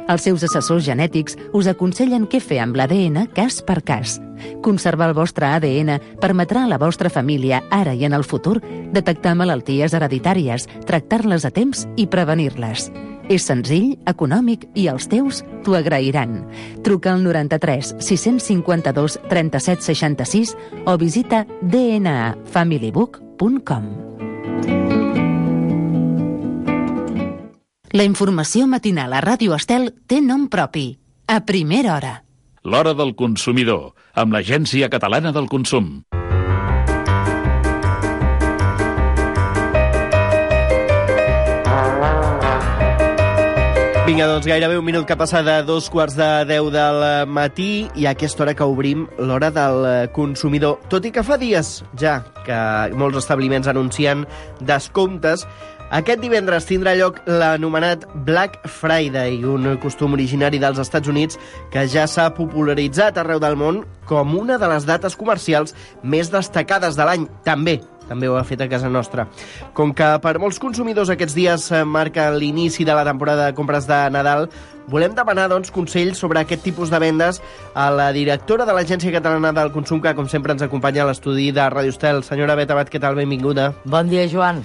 Els seus assessors genètics us aconsellen què fer amb l'ADN cas per cas. Conservar el vostre ADN permetrà a la vostra família, ara i en el futur, detectar malalties hereditàries, tractar-les a temps i prevenir-les. És senzill, econòmic i els teus t'ho agrairan. Truca al 93 652 37 66 o visita dnafamilybook.com. La informació matinal a Ràdio Estel té nom propi. A primera hora. L'Hora del Consumidor, amb l'Agència Catalana del Consum. Vinga, doncs gairebé un minut que passa de 2:45 del matí i a aquesta hora que obrim l'Hora del Consumidor. Tot i que fa dies ja que molts establiments anuncien descomptes, aquest divendres tindrà lloc l'anomenat Black Friday, un costum originari dels Estats Units que ja s'ha popularitzat arreu del món com una de les dates comercials més destacades de l'any. També ho ha fet a casa nostra. Com que per molts consumidors aquests dies marca l'inici de la temporada de compres de Nadal, volem demanar consells sobre aquest tipus de vendes a la directora de l'Agència Catalana del Consum, que com sempre ens acompanya a l'estudi de Ràdio Estel. Senyora Bet Abad, què tal? Benvinguda. Bon dia, Joan.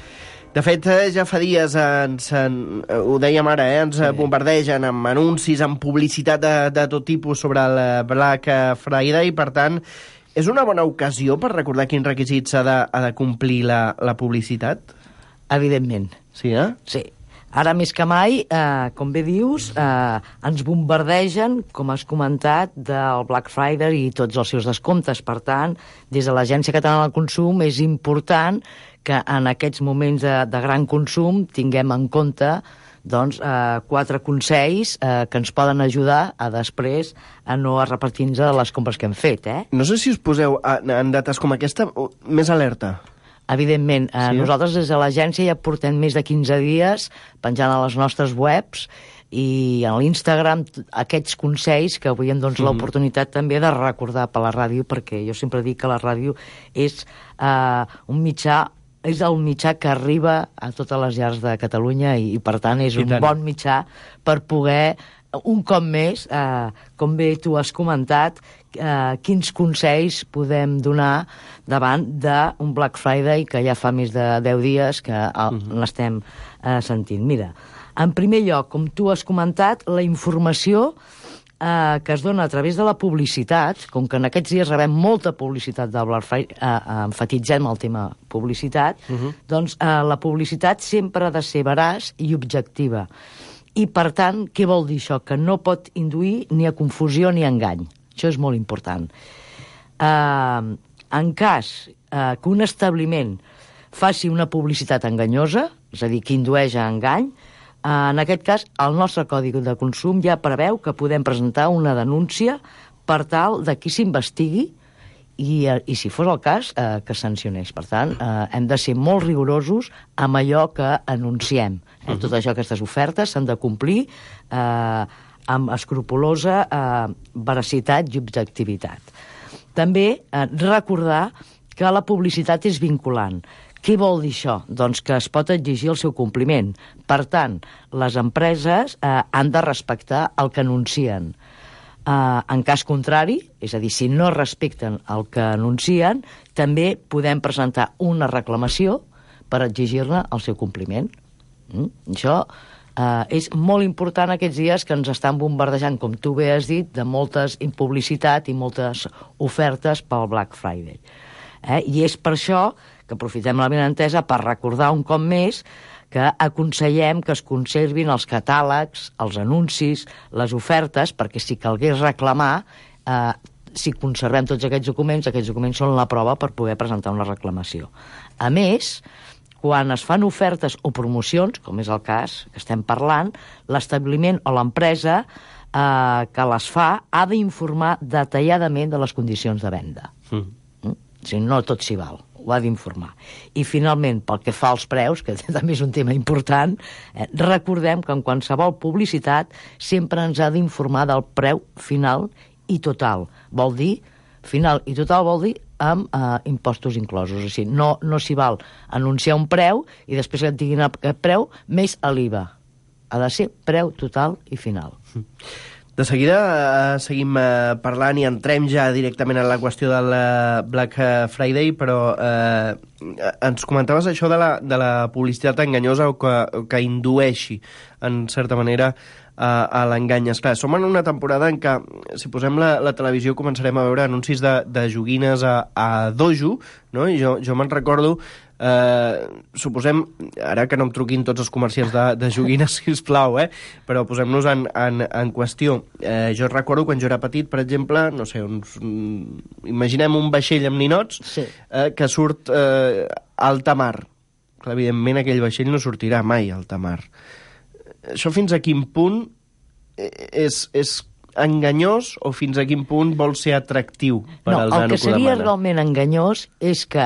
De fet, ja fa dies, ho dèiem ara, ens bombardegen amb anuncis, amb publicitat de tot tipus sobre el Black Friday, i per tant, és una bona ocasió per recordar quins requisits ha de complir la publicitat? Evidentment. Sí, eh? Sí. Ara més que mai, com bé dius, ens bombardegen, com has comentat, del Black Friday i tots els seus descomptes. Per tant, des de l'Agència Catalana del Consum és important que en aquests moments de gran consum tinguem en compte 4 consells que ens poden ajudar a després a no repetir-nos de les compres que hem fet. No sé si us poseu en dates com aquesta més alerta. Evidentment, sí? Nosaltres des de l'agència ja portem més de 15 dies penjant a les nostres webs i a l'Instagram aquests consells que avui hem l'oportunitat també de recordar per la ràdio, perquè jo sempre dic que la ràdio és un mitjà, és el mitjà que arriba a totes les llars de Catalunya i per tant és un bon mitjà per poder, un cop més, com bé tu has comentat, quins consells podem donar davant d'un Black Friday que ja fa més de 10 dies que l'estem sentint. Mira, en primer lloc, com tu has comentat, la informació que es dona a través de la publicitat, com que en aquests dies rebem molta publicitat del Black Friday, enfatitzem el tema publicitat, doncs la publicitat sempre ha de ser veraç i objectiva. I, per tant, què vol dir això? Que no pot induir ni a confusió ni a engany. Això és molt important. En cas que un establiment faci una publicitat enganyosa, és a dir, que indueix a engany, en aquest cas, el nostre Codi de Consum ja preveu que podem presentar una denúncia per tal de qui s'investigui i, si fos el cas, que sancionés. Per tant, hem de ser molt rigorosos amb allò que anunciem. Tot això, aquestes ofertes, s'han de complir amb escrupolosa veracitat i objectivitat. També recordar que la publicitat és vinculant. Què vol dir això? Doncs que es pot exigir el seu compliment. Per tant, les empreses han de respectar el que anuncien. En cas contrari, és a dir, si no respecten el que anuncien, també podem presentar una reclamació per exigir-ne el seu compliment. Això és molt important aquests dies que ens estan bombardejant, com tu bé has dit, de moltes publicitat i moltes ofertes pel Black Friday. I és per això que aprofitem la benentesa per recordar un cop més que aconsellem que es conservin els catàlegs, els anuncis, les ofertes, perquè si calgués reclamar, si conservem tots aquests documents són la prova per poder presentar una reclamació. A més, quan es fan ofertes o promocions, com és el cas que estem parlant, l'establiment o l'empresa que les fa ha d'informar detalladament de les condicions de venda. Si no tot s'hi val, ho ha d'informar. I finalment, pel que fa als preus, que també és un tema important, recordem que en qualsevol publicitat sempre ens ha d'informar del preu final i total. Vol dir, final i total vol dir amb impostos inclosos. O sigui, no s'hi val anunciar un preu i després que et diguin el preu més l'IVA. Ha de ser preu total i final. De seguida seguim parlant i entrem ja directament en la qüestió del Black Friday, però ens comentaves això de la publicitat enganyosa o que indueixi, en certa manera, a l'engany. Esclar, som en una temporada en què, si posem la televisió, començarem a veure anuncis de joguines a dojo, no? I jo me'n recordo, suposem, ara que no em truquin tots els comerciants de joguines, sisplau, però posem-nos en qüestió. Jo recordo quan jo era petit, per exemple, no sé, imaginem un vaixell amb ninots, sí, que surt a alta mar. Clar, evidentment aquell vaixell no sortirà mai a alta mar. Això fins a quin punt és enganyós o fins a quin punt vol ser atractiu per al nano que demana? El que seria realment enganyós és que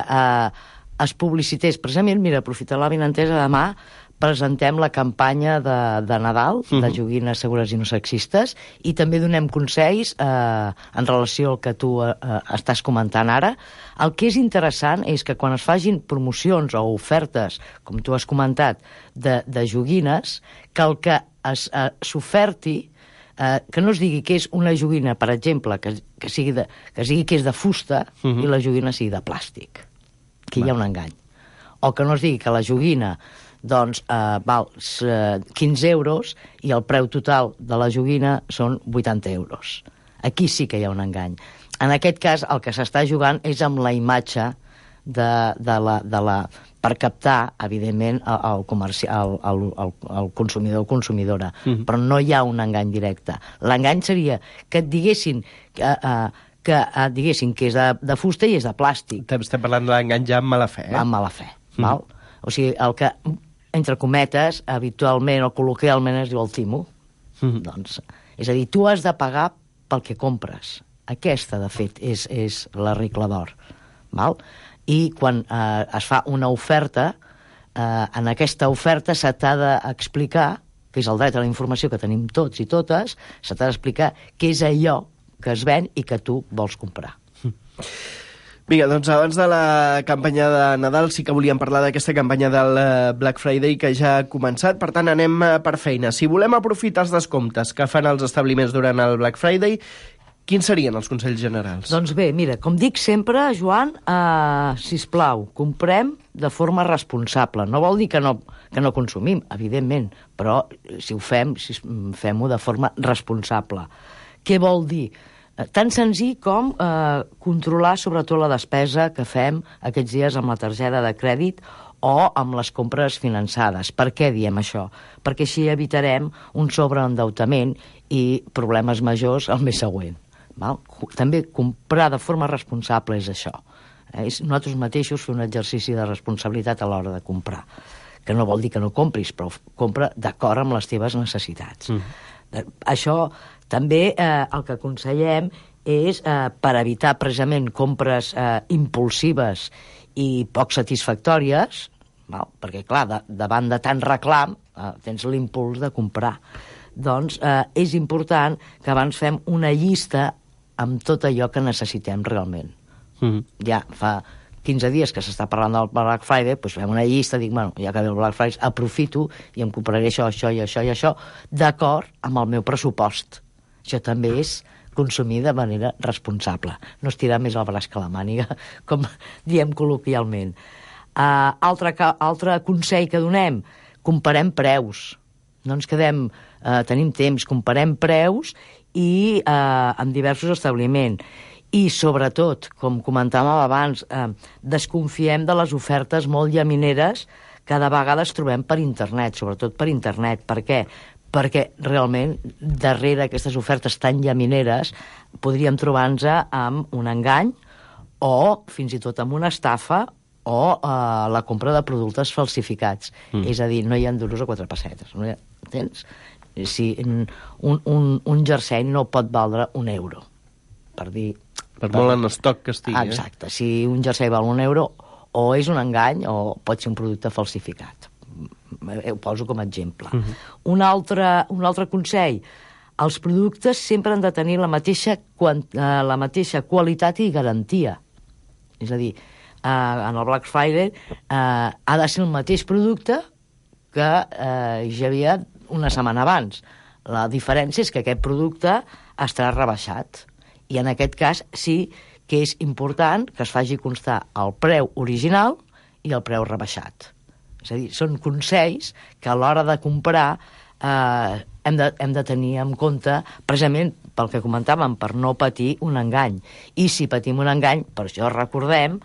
es publicités, precisament, mira, aprofitant la benentesa, demà presentem la campanya de Nadal, de joguines segures i no sexistes, i també donem consells en relació al que tu estàs comentant ara. El que és interessant és que quan es facin promocions o ofertes, com tu has comentat, de joguines, que el que s'oferti, que no es digui que és una joguina, per exemple, que sigui que és de fusta i la joguina sigui de plàstic. Que hi ha un engany. O que no es digui que la joguina doncs val 15 euros i el preu total de la joguina són 80 euros. Aquí sí que hi ha un engany. En aquest cas, el que s'està jugant és amb la imatge per captar, evidentment, el consumidor o consumidora. Però no hi ha un engany directe. L'engany seria que et diguessin que és de fusta i és de plàstic. Estem parlant de l'engany ja amb mala fe, Amb mala fe, val? O sigui, el que, entre cometes, habitualment o col·loquialment es diu el timo. Doncs, és a dir, tu has de pagar pel que compres. Aquesta, de fet, és la regla d'or, val? I quan es fa una oferta, en aquesta oferta se t'ha d'explicar, que és el dret a la informació que tenim tots i totes, se t'ha d'explicar què és allò que es ven i que tu vols comprar. Vinga, doncs abans de la campanya de Nadal sí que volíem parlar d'aquesta campanya del Black Friday que ja ha començat, per tant anem per feina. Si volem aprofitar els descomptes que fan els establiments durant el Black Friday, quins serien els consells generals? Doncs bé, mira, com dic sempre, Joan, sisplau, comprem de forma responsable. No vol dir que no consumim, evidentment, però si ho fem, fem-ho de forma responsable. Què vol dir? Tan senzill com controlar sobretot la despesa que fem aquests dies amb la targeta de crèdit o amb les compres finançades. Per què diem això? Perquè així evitarem un sobreendeutament i problemes majors el mes següent. Val? També comprar de forma responsable és això. És nosaltres mateixos fer un exercici de responsabilitat a l'hora de comprar. Que no vol dir que no compris, però compra d'acord amb les teves necessitats. Això també el que aconsellem és, per evitar precisament compres impulsives i poc satisfactòries, perquè clar, davant de tant reclam tens l'impuls de comprar, doncs és important que abans fem una llista amb tot allò que necessitem realment. Ja fa 15 dies que s'està parlant del Black Friday, doncs fem una llista, dic, bueno, ja que ve el Black Friday, aprofito i em compraré això, això i això i això, d'acord amb el meu pressupost. Això també és consumir de manera responsable. No estirar més el braç que la màniga, com diem col·loquialment. Altre consell que donem, comparem preus. No ens quedem, tenim temps, comparem preus i en diversos establiments. I, sobretot, com comentàvem abans, desconfiem de les ofertes molt llamineres que de vegades trobem per internet, sobretot per internet. Per què? Perquè realment, darrere aquestes ofertes tan llamineres, podríem trobar-nos amb un engany o, fins i tot, amb una estafa o la compra de productes falsificats. És a dir, no hi ha duros o 4 pessetes. No hi ha, entens? Si un jersei no pot valdre €1, per dir... Per molt en estoc que estigui. Exacte. Si un jersei val €1, o és un engany o pot ser un producte falsificat. Ho poso com a exemple. Un altre consell. Els productes sempre han de tenir la mateixa qualitat i garantia. És a dir, en el Black Friday ha de ser el mateix producte que ja havia una setmana abans. La diferència és que aquest producte estarà rebaixat. I en aquest cas sí que és important que es faci constar el preu original i el preu rebaixat. És a dir, són consells que a l'hora de comprar hem de tenir en compte, precisament pel que comentàvem, per no patir un engany. I si patim un engany, per això recordem,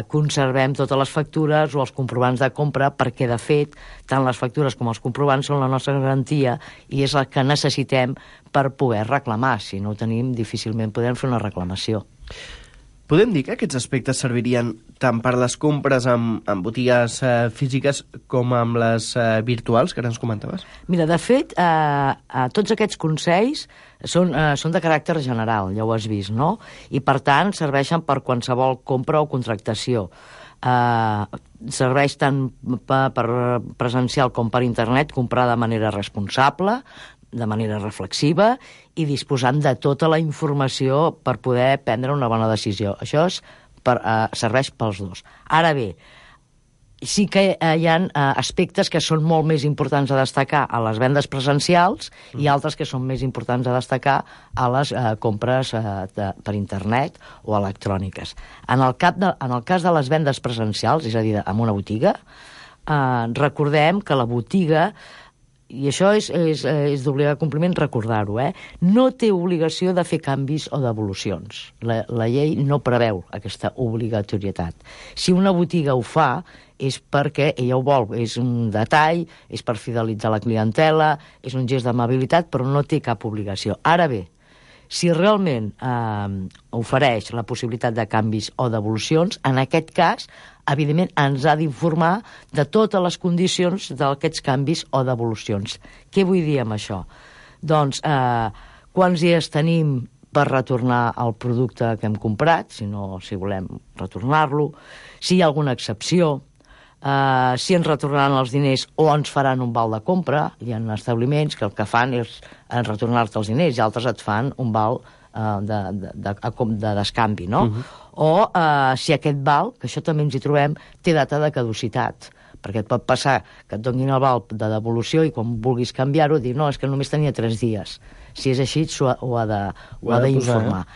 conservem totes les factures o els comprovants de compra, perquè de fet tant les factures com els comprovants són la nostra garantia i és el que necessitem per poder reclamar. Si no ho tenim, difícilment podem fer una reclamació. Podem dir que aquests aspectes servirien tant per les compres en botigues físiques com amb les virtuals, que ara ens comentaves? Mira, de fet, tots aquests consells són de caràcter general, ja ho has vist, no? I, per tant, serveixen per qualsevol compra o contractació. Serveix tant per presencial com per internet, comprar de manera responsable, de manera reflexiva i disposant de tota la informació per poder prendre una bona decisió. Això serveix pels dos. Ara bé, sí que hi ha aspectes que són molt més importants a destacar a les vendes presencials i altres que són més importants a destacar a les compres per internet o electròniques. En el cas de les vendes presencials, és a dir, en una botiga, recordem que la botiga, i això és d'obligat compliment recordar-ho, no té obligació de fer canvis o devolucions. La llei no preveu aquesta obligatorietat. Si una botiga ho fa, és perquè ella ho vol, és un detall, és per fidelitzar la clientela, és un gest d'amabilitat, però no té cap obligació. Ara bé, si realment ofereix la possibilitat de canvis o devolucions, en aquest cas, evidentment, ens ha d'informar de totes les condicions d'aquests canvis o devolucions. Què vull dir amb això? Doncs, quants dies tenim per retornar el producte que hem comprat, si volem retornar-lo, si hi ha alguna excepció, si ens retornaran els diners o ens faran un val de compra. Hi ha establiments que el que fan és retornar-te els diners i altres et fan un val de descanvi, no? O si aquest val, que això també ens hi trobem, té data de caducitat, perquè et pot passar que et donin el val de devolució i quan vulguis canviar-ho dir, no, és que només tenia 3 dies. Si és així, ho ha d'informar.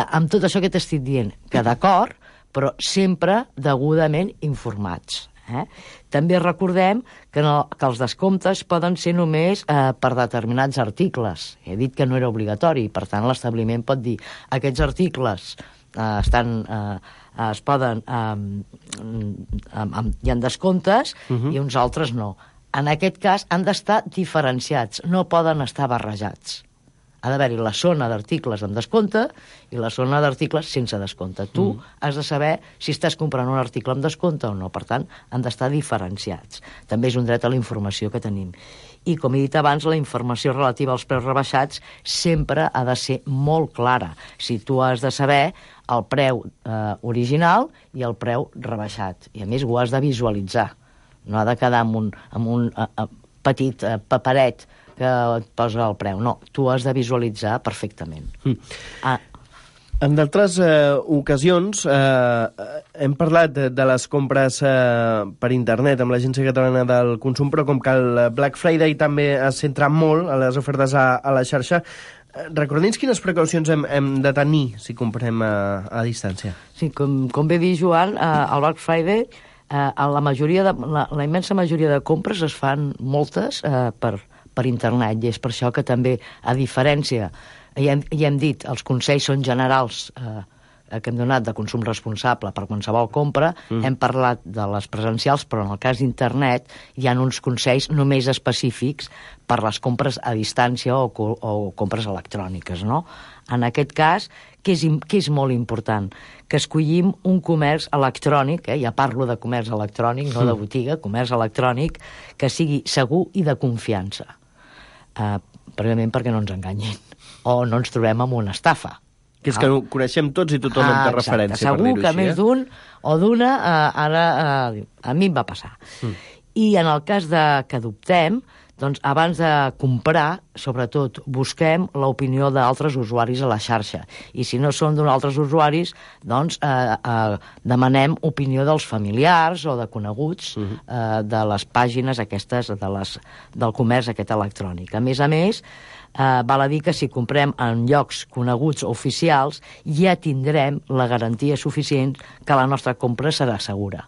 Amb tot això que t'estic dient, que d'acord, però sempre degudament informats. També recordem que els descomptes poden ser només per determinats articles. He dit que no era obligatori, per tant l'establiment pot dir aquests articles es poden hi ha descomptes i uns altres no. En aquest cas han d'estar diferenciats, no poden estar barrejats. Ha d'haver-hi la zona d'articles amb descompte i la zona d'articles sense descompte. Tu has de saber si estàs comprant un article amb descompte o no. Per tant, han d'estar diferenciats. També és un dret a la informació que tenim. I, com he dit abans, la informació relativa als preus rebaixats sempre ha de ser molt clara. Si tu has de saber el preu original i el preu rebaixat. I, a més, ho has de visualitzar. No ha de quedar amb un petit paperet que et posa el preu. No, tu has de visualitzar perfectament. En d'altres ocasions hem parlat de les compres per internet amb l'Agència Catalana del Consum, però com que el Black Friday també es centra molt a les ofertes a la xarxa, recorda'ns quines precaucions hem de tenir si comprem a distància. Sí, com bé dir, Joan, el Black Friday, la immensa majoria de compres es fan moltes per internet, i és per això que també, a diferència, ja hem dit, els consells són generals que hem donat de consum responsable per qualsevol compra, hem parlat de les presencials, però en el cas d'internet hi ha uns consells només específics per les compres a distància o compres electròniques, no? En aquest cas, què és molt important? Que escollim un comerç electrònic, ja parlo de comerç electrònic, no de botiga, comerç electrònic, que sigui segur i de confiança. Precisament perquè no ens enganyin o no ens trobem amb una estafa. Que és que ho coneixem tots i tothom en té referència, segur per dir-ho així. Segur que més d'un o d'una a mi em va passar. I en el cas que adoptem, Doncs abans de comprar, sobretot, busquem l'opinió d'altres usuaris a la xarxa. I si no són d'un altres usuaris, doncs demanem opinió dels familiars o de coneguts de les pàgines aquestes del comerç aquest electrònic. A més, val a dir que si comprem en llocs coneguts oficials ja tindrem la garantia suficient que la nostra compra serà segura.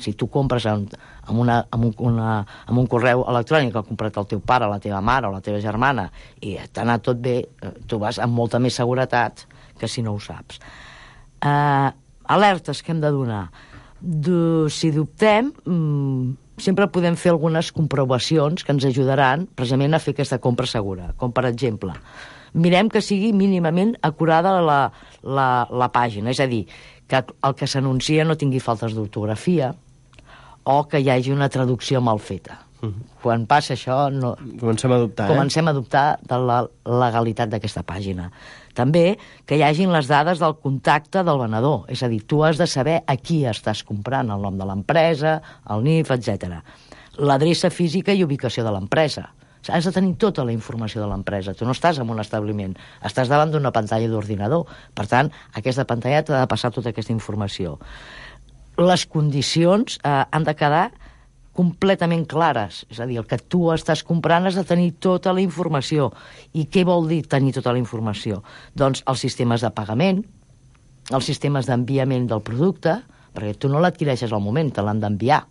Si tu compres amb un correu electrònic que ha comprat el teu pare, la teva mare o la teva germana i t'ha anat tot bé, tu vas amb molta més seguretat que si no ho saps. Alertes que hem de donar. Si dubtem, sempre podem fer algunes comprovacions que ens ajudaran precisament a fer aquesta compra segura. Com, per exemple, mirem que sigui mínimament acurada la pàgina, és a dir, que el que s'anuncia no tingui faltes d'ortografia o que hi hagi una traducció mal feta. Quan passa això, comencem a dubtar de la legalitat d'aquesta pàgina. També que hi hagin les dades del contacte del venedor, és a dir, tu has de saber a qui estàs comprant, el nom de l'empresa, el NIF, etc. L'adreça física i ubicació de l'empresa. Has de tenir tota la informació de l'empresa. Tu no estàs en un establiment, estàs davant d'una pantalla d'ordinador. Per tant, aquesta pantalla t'ha de passar tota aquesta informació. Les condicions han de quedar completament clares. És a dir, el que tu estàs comprant has de tenir tota la informació. I què vol dir tenir tota la informació? Doncs els sistemes de pagament, els sistemes d'enviament del producte, perquè tu no l'adquireixes al moment, te l'han d'enviar.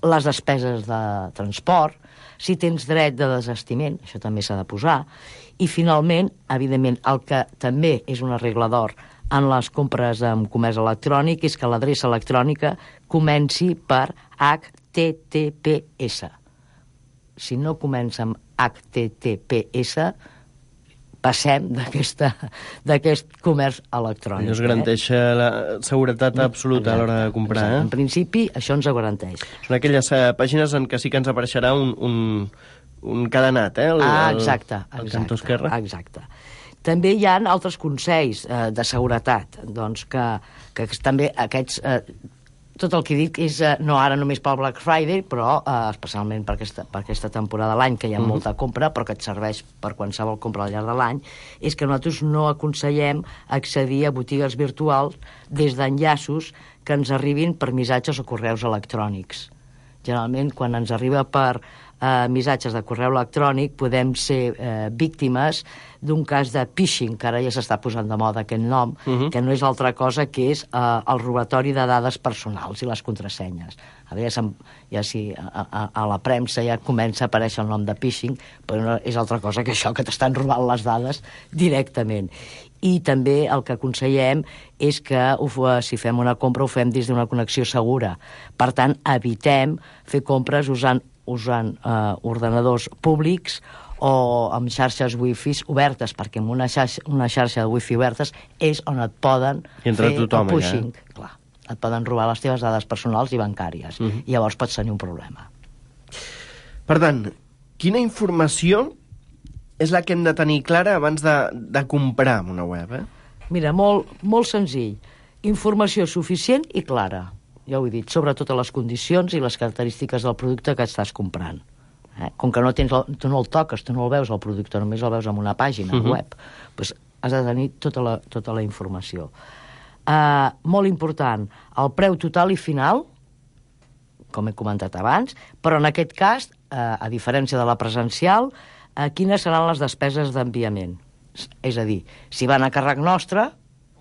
Les despeses de transport, si tens dret de desestiment, això també s'ha de posar. I finalment, evidentment, el que també és una regla d'or en les compres amb comerç electrònic és que l'adreça electrònica comenci per HTTPS. Si no comença amb HTTPS, passem d'aquest comerç electrònic. Això es garanteix la seguretat absoluta a l'hora de comprar. En principi, això ens ho garanteix. Són aquelles pàgines en què sí que ens apareixerà un cadenat, Exacte. Al cantó esquerre. Exacte. També hi ha altres consells de seguretat, doncs que també aquests... Tot el que dic és no ara només pel Black Friday, però especialment per aquesta temporada de l'any, que hi ha molta compra, però que et serveix per qualsevol compra al llarg de l'any, és que nosaltres no aconsellem accedir a botigues virtuals des d'enllaços que ens arribin per missatges o correus electrònics. Generalment, quan ens arriba per missatges de correu electrònic, podem ser víctimes d'un cas de phishing, que ara ja s'està posant de moda aquest nom, que no és altra cosa que és el robatori de dades personals i les contrasenyes. A la premsa ja comença a aparèixer el nom de phishing, però no és altra cosa que això, que t'estan robant les dades directament. I també el que aconsellem és que si fem una compra ho fem des d'una connexió segura. Per tant, evitem fer compres usant ordenadors públics o amb xarxes wifi obertes, perquè amb una xarxa de wifi obertes és on et poden fer el pushing. Clar, et poden robar les teves dades personals i bancàries. I llavors pots tenir un problema. Per tant, quina informació és la que hem de tenir clara abans de comprar una web? Mira, molt senzill. Informació suficient i clara. Ja ho he dit, sobre totes les condicions i les característiques del producte que estàs comprant. Com que tu no el toques, tu no el veus el producte, només el veus en una pàgina web, doncs has de tenir tota la informació. Molt important, el preu total i final, com he comentat abans, però en aquest cas, a diferència de la presencial, quines seran les despeses d'enviament? És a dir, si van a càrrec nostre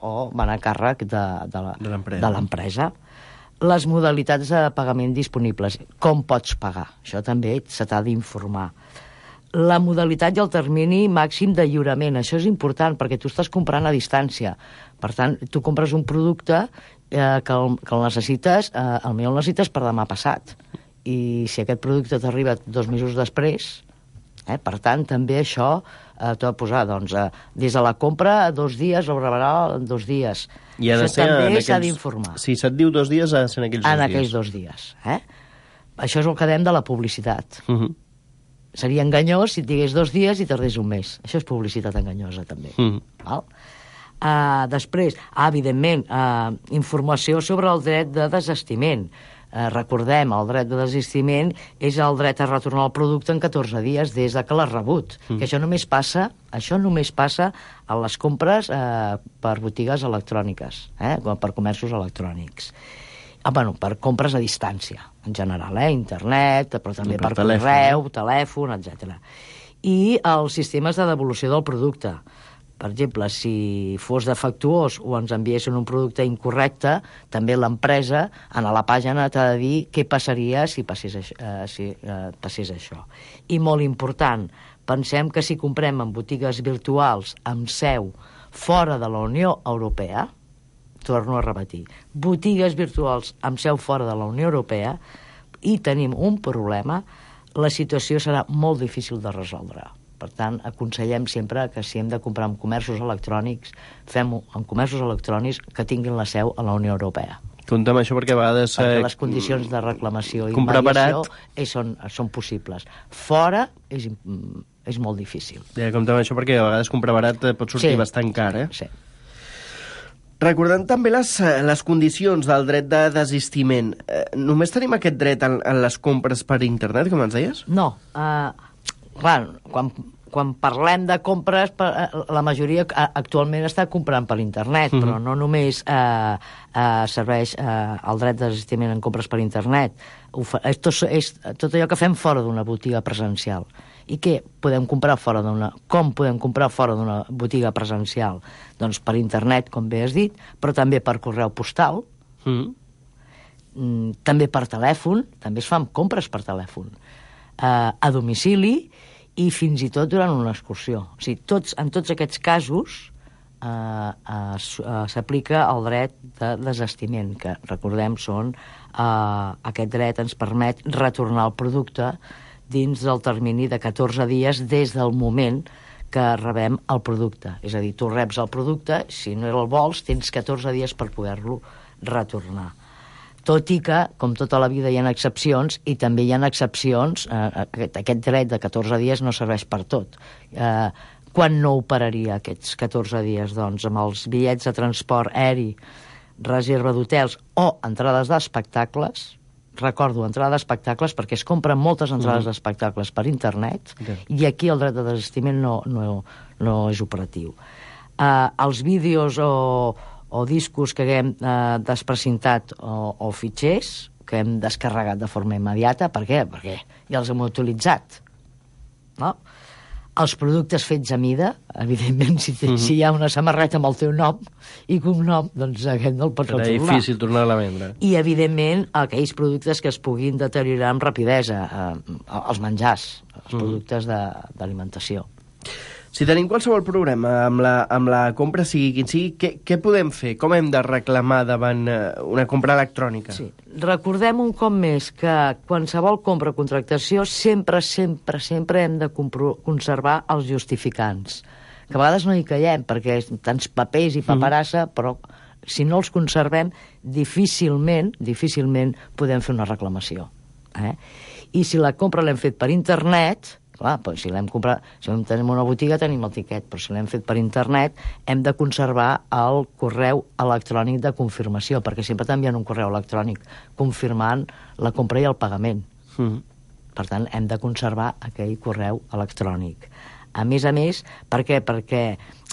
o van a càrrec de l'empresa. Les modalitats de pagament disponibles, com pots pagar, això també se t'ha d'informar. La modalitat i el termini màxim de lliurament, això és important perquè tu estàs comprant a distància. Per tant, tu compres un producte que el necessites, potser el necessites per demà passat. I si aquest producte t'arriba 2 mesos després, per tant, també això t'ho ha de posar, doncs, des de la compra a 2 dies, o rebrà en 2 dies. I això també s'ha d'informar. Si se't diu 2 dies, ha de ser en aquells 2 dies. En aquells 2 dies. Això és el que dèiem de la publicitat. Seria enganyós si et digués 2 dies i tardés un mes. Això és publicitat enganyosa, també. Després, evidentment, informació sobre el dret de desestiment. recordem, el dret de desistiment és el dret a retornar el producte en 14 dies des de que l'has rebut. Que això només passa a les compres per botigues electròniques, per comerços electrònics. Per compres a distància, en general, internet, però també per correu, telèfon, etc. I els sistemes de devolució del producte. Per exemple, si fos defectuós o ens enviessin un producte incorrecte, també l'empresa, a la pàgina, t'ha de dir què passaria si passés això. I molt important, pensem que si comprem en botigues virtuals amb seu fora de la Unió Europea, torno a repetir, botigues virtuals amb seu fora de la Unió Europea, i tenim un problema, la situació serà molt difícil de resoldre. Per tant, aconsellem sempre que si hem de comprar en comerços electrònics, fem-ho en comerços electrònics que tinguin la seu a la Unió Europea. Compte amb això perquè a vegades... Perquè les condicions de reclamació i mediació són possibles. Fora és molt difícil. Compte amb això perquè a vegades comprar barat pot sortir bastant car, Sí. Recordant també les condicions del dret de desistiment, només tenim aquest dret en les compres per internet, com ens deies? No. Quan parlem de compres, la majoria actualment està comprant per internet, però no només serveix el dret de desistiment en compres per internet. És tot allò que fem fora d'una botiga presencial. I què podem comprar fora com podem comprar fora d'una botiga presencial? Doncs per internet, com bé has dit, però també per correu postal, també per telèfon, també es fan compres per telèfon, a domicili i fins i tot durant una excursió. O sigui, en tots aquests casos s'aplica el dret de desistiment, que, recordem, aquest dret ens permet retornar el producte dins del termini de 14 dies des del moment que rebem el producte. És a dir, tu reps el producte, si no el vols, tens 14 dies per poder-lo retornar. Tot i que, com tota la vida, hi ha excepcions, i també hi ha excepcions, aquest dret de 14 dies no serveix per tot. Quan no operaria aquests 14 dies? Doncs amb els bitllets de transport aeri, reserva d'hotels o entrades d'espectacles. Recordo, entrada d'espectacles, perquè es compren moltes entrades d'espectacles per internet, i aquí el dret de desistiment no és operatiu. Els vídeos o discos que haguem desprecintat o fitxers que hem descarregat de forma immediata, per què? Perquè ja els hem utilitzat. No? Els productes fets a mida, evidentment, si hi ha una samarreta amb el teu nom i cognom, doncs aquest no el pots retornar. Serà difícil tornar-la a vendre. I, evidentment, aquells productes que es puguin deteriorar amb rapidesa, els menjars, els productes d'alimentació. Si tenim qualsevol problema amb la compra, sigui quin sigui, què podem fer? Com hem de reclamar davant una compra electrònica? Sí. Recordem un cop més que qualsevol compra o contractació sempre hem de conservar els justificants. Que a vegades no hi caiem, perquè tants papers i paperassa, però si no els conservem, difícilment podem fer una reclamació. I si la compra l'hem fet per internet... Clar, doncs si l'hem comprat, si tenim una botiga tenim el tiquet, però si l'hem fet per internet hem de conservar el correu electrònic de confirmació, perquè sempre t'envien un correu electrònic confirmant la compra i el pagament. Per tant, hem de conservar aquell correu electrònic. A més, per què? Perquè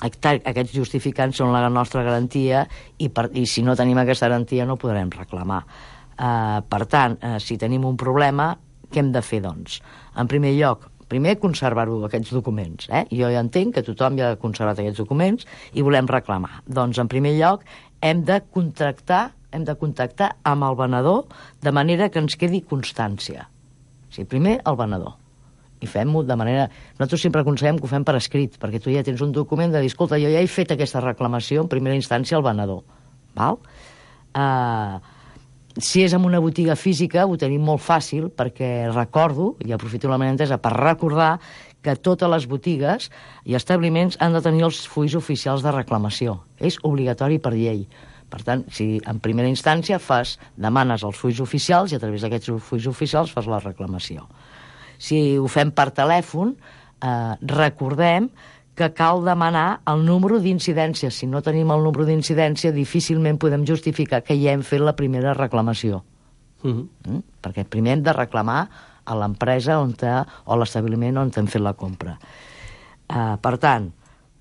aquests justificants són la nostra garantia i si no tenim aquesta garantia no podrem reclamar. Per tant, si tenim un problema, què hem de fer, doncs? En primer lloc, conservar-ho, aquests documents. Jo ja entenc que tothom ja ha conservat aquests documents i volem reclamar. Doncs, en primer lloc, hem de contactar amb el venedor de manera que ens quedi constància. O sigui, primer, el venedor. I fem-ho de manera... Nosaltres sempre aconsellem que ho fem per escrit, perquè tu ja tens un document de dir, escolta, jo ja he fet aquesta reclamació en primera instància al venedor. Val? Si és en una botiga física ho tenim molt fàcil perquè recordo, i aprofito la meva entesa per recordar, que totes les botigues i establiments han de tenir els fulls oficials de reclamació. És obligatori per llei. Per tant, si en primera instància demanes els fulls oficials i a través d'aquests fulls oficials fas la reclamació. Si ho fem per telèfon, recordem que cal demanar el número d'incidència. Si no tenim el número d'incidència, difícilment podem justificar que ja hem fet la primera reclamació. Perquè primer hem de reclamar a l'empresa o l'establiment on hem fet la compra. Per tant,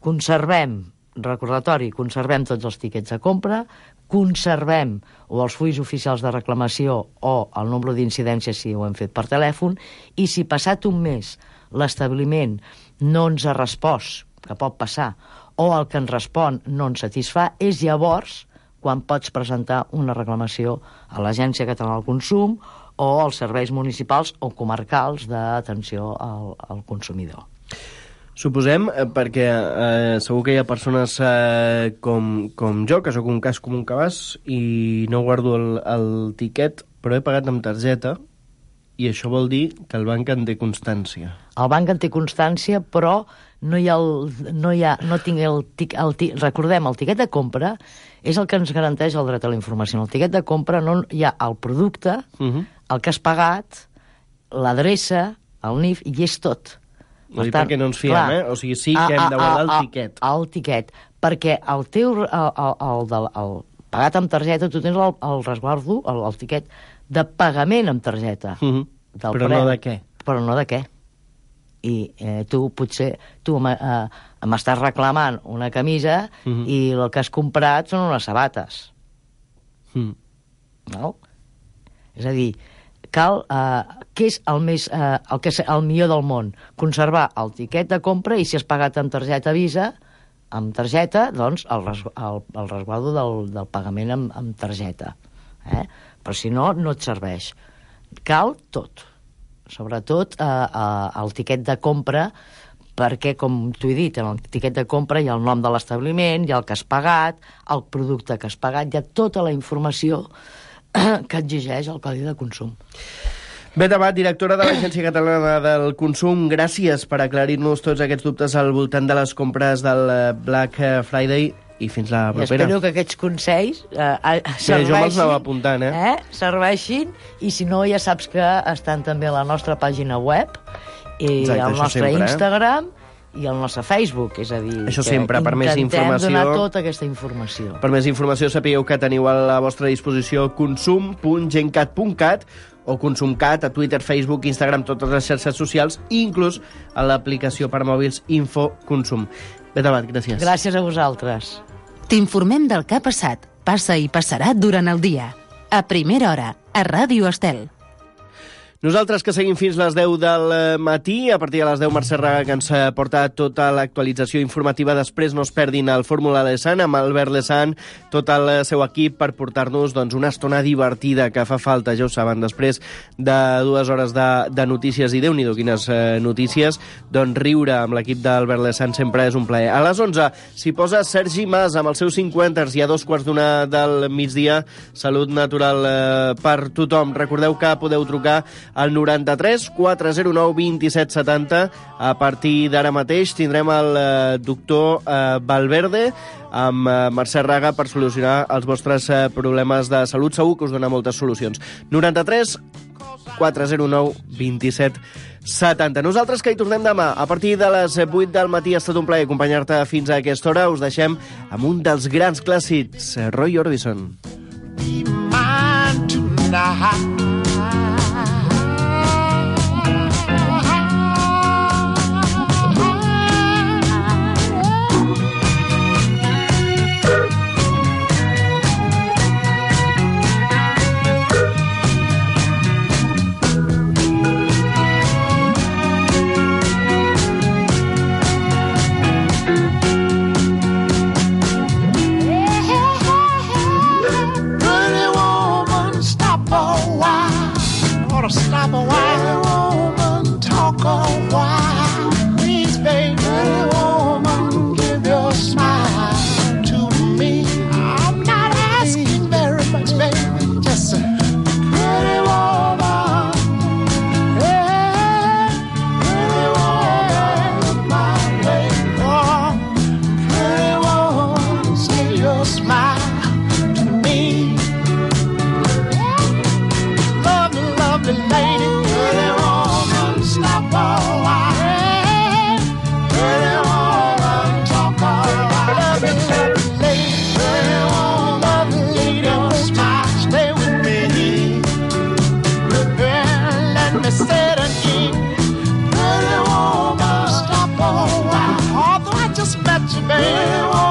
conservem tots els tiquets de compra, conservem o els fulls oficials de reclamació o el nombre d'incidències si ho hem fet per telèfon, i si passat un mes l'establiment no ens ha respost, que pot passar, o el que ens respon no ens satisfà, és llavors quan pots presentar una reclamació a l'Agència Catalana del Consum o als serveis municipals o comarcals d'atenció al consumidor. Suposem, perquè segur que hi ha persones com jo, que sóc un cas com un cabàs i no guardo el tiquet, però he pagat amb targeta, i això vol dir que el banc en té constància. El banc en té constància, però recordem, el tiquet de compra és el que ens garanteix el dret a la informació. En el tiquet de compra no hi ha el producte, el que has pagat, l'adreça, el NIF, i és tot. Per tant, perquè no ens fiem, clar, O sigui, sí que hem de guardar el tiquet. El tiquet, perquè el teu el pagat amb targeta, tu tens el resguardo, el tiquet de pagament amb targeta. Però no de què? Però no de què. I tu m'estàs reclamant una camisa i el que has comprat són unes sabates. No? És a dir, cal, què és el millor del món? Conservar el tiquet de compra, i si has pagat amb targeta Visa, amb targeta, doncs el resguardo del pagament amb targeta. Però si no, no et serveix. Cal tot, sobretot el tiquet de compra, perquè, com t'ho he dit, en el tiquet de compra hi ha el nom de l'establiment, hi ha el que has pagat, el producte que has pagat, hi ha tota la informació que exigeix el Codi de Consum. Beth Abad, directora de l'Agència Catalana del Consum, gràcies per aclarir-nos tots aquests dubtes al voltant de les compres del Black Friday, i fins la propera. Espero que aquests consells serveixin. Jo me'ls anava apuntant, serveixin, i si no, ja saps que estan també a la nostra pàgina web, i al nostre Instagram, i al nostre Facebook, és a dir, això sempre, per més informació, intentem donar tota aquesta informació. Per més informació sapigueu que teniu a la vostra disposició consum.gencat.cat o Consumcat a Twitter, Facebook, Instagram, totes les xarxes socials, i inclús a l'aplicació per mòbils Info Consum. Beth Abad, gràcies. Gràcies a vosaltres. T'informem del que ha passat, passa i passarà durant el dia. A primera hora, a Ràdio Estel. Nosaltres que seguim fins les 10 del matí, a partir de les 10 Mercè Raga, que ens porta tota l'actualització informativa. Després no es perdin el Fórmula Lesan amb Albert Lesan, tot el seu equip, per portar-nos una estona divertida que fa falta, ja ho saben, després de 2 hores de notícies, i Déu-n'hi-do quines notícies, doncs riure amb l'equip d'Albert Lesan sempre és un plaer. A les 11 s'hi posa Sergi Mas amb els seus 50ers, i a 2:15 del migdia, Salut Natural per tothom. Recordeu que podeu trucar al 93 409 27 70. A partir d'ara mateix tindrem el doctor Valverde amb Mercè Raga per solucionar els vostres problemes de salut. Segur que us dona moltes solucions. 93 409 27 70. Nosaltres que hi tornem demà a partir de les 8 del matí. Ha estat un plaer acompanyar-te fins a aquesta hora. Us deixem amb un dels grans clàssics, Roy Orbison. Be mine tonight. Wow. just met you, babe.